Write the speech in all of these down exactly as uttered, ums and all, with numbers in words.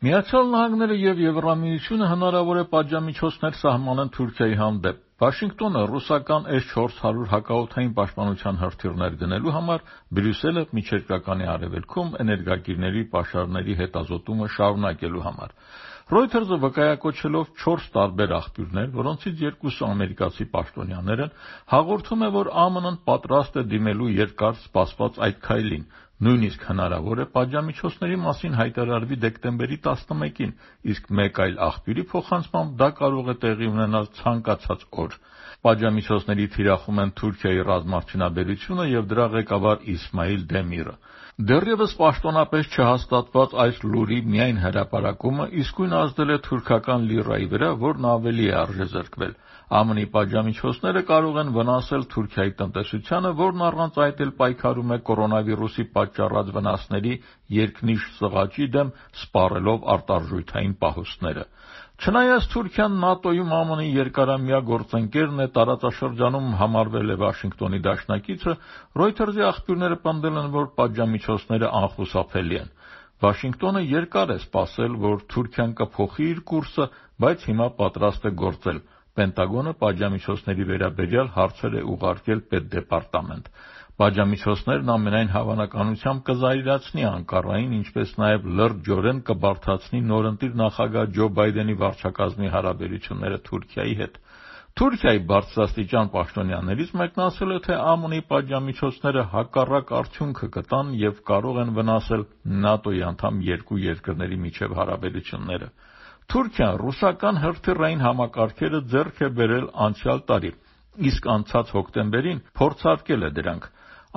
Միացյալ Նահանգները եւ Եվրամիությունը հնարավոր է պատժամիջոցներ սահմանեն Թուրքիայի հանդեպ։ Վաշինգտոնը ռուսական էս չորս հարյուր հակաօդային պաշտպանության հրթիռներ գնելու համար Բրյուսելը միջերկրականի արևելքում էներգակիրների պաշարների հետազոտումը շարունակելու համար։ Reuters-ը վկայակոչելով չորս տարբեր աղբյուրներ, որոնցից երկուսը ամերիկացի պաշտոնյաներ են, հաղորդում է, որ ԱՄՆ-ն պատրաստ է դիմելու երկար սպասված այդ քայլին։ Նույնիսկ հնարավոր է պատժամիջոցների մասին հայտարարվի դեկտեմբերի տասնմեկին, իսկ մեկ այլ աղբյուրի փոխանցմամբ դա կարող է տեղի ունենալ ցանկացած օր։ Պատժամիջոցների թիրախում են Թուրքիայի ռազմարդյունաբերությունը եւ դրա ղեկավար Իսմայիլ Դեմիրը։ Դեռևս պաշտոնապես չհաստատված այս լուրի միայն հրապարակումը իսկույն ազդել է թուրքական լիրայի վրա, որն ավելի է արժեզրկվել։ ԱՄՆ-ի պատժամիջոցները կարող են վնասել Թուրքիայի տնտեսությանը, որն առանց այդ էլ պայքարում է կորոնավիրուսի պատճառած վնասների երկնիշ սղաճի դեմ, սպառելով արտարժութային պահոստները։ Չնայած Թուրքիան ՆԱՏՕ-ում ԱՄՆ-ի երկարամյա գործընկերն է, տարածաշրջանում համարվել է Վաշինգտոնի դաշնակիցը, Reuters-ի աղբյուրները պնդել են, որ պատժամիջոցները անխուսափելի են։ Վաշինգտոնը երկար է սպասել, որ Թուրքիան կփոխի իր կուրսը, բայց հիմա պատրաստ է գործել։ Պենտագոնը պատժամիջոցների վերաբերյալ հարցեր է ուղարկել Պետդեպարտամենտ։ Պատժամիջոցներն ամենայն հավանականությամբ կզայրացնի Անկարային, ինչպես նաև լրջորեն կբարդացնի նորընտիր նախագահ Ջո Բայդենի վարչակազմի հարաբերությունները Թուրքիայի հետ։ Թուրքիայի բարձրաստիճան պաշտոնյաներից մեկն ասել է, թե ԱՄՆ-ի պատժամիջոցները հակառակ արդյունքը կտան եւ կարող են վնասել ՆԱՏՕ-ի անդամ երկու երկրների միջև հարաբերությունները։ Թուրքիան ռուսական հրթիռային համակարգերը ձեռք է բերել անցյալ տարի, իսկ անցած հոկտեմբերին փորձարկել է դրանք։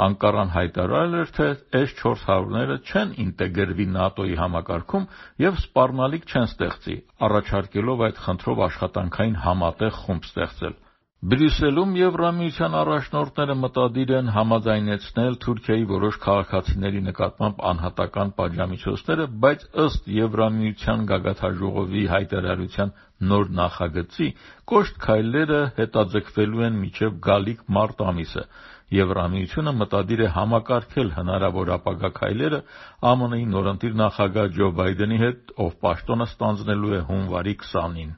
Անկարան հայտարարել էր, թե էս չորս հարյուրները չեն ինտեգրվի ՆԱՏՕ-ի համակարգում եւ սպառնալիք չեն ստեղծի, առաջարկելով այդ խնդրով աշխատանքային համատեղ խումբ ստեղծել։ Բրյուսելում Եվրամիության առաջնորդները մտադիր են համաձայնեցնել Թուրքիայի որոշ քաղաքացիների նկատմամբ անհատական պատժամիջոցները, բայց ըստ Եվրամիության գագաթնաժողովի հայտարարության նոր նախագծի, կոշտ քայլերը հետաձգվելու են մինչև գալիք մարտ ամիսը։ Եվրամիությունը մտադիր է համակարգել հնարավոր ապագա քայլերը ԱՄՆ-ի նորընտիր նախագահ Ջո Բայդենի հետ, ով պաշտոնը ստանձնելու է հունվարի քսանին։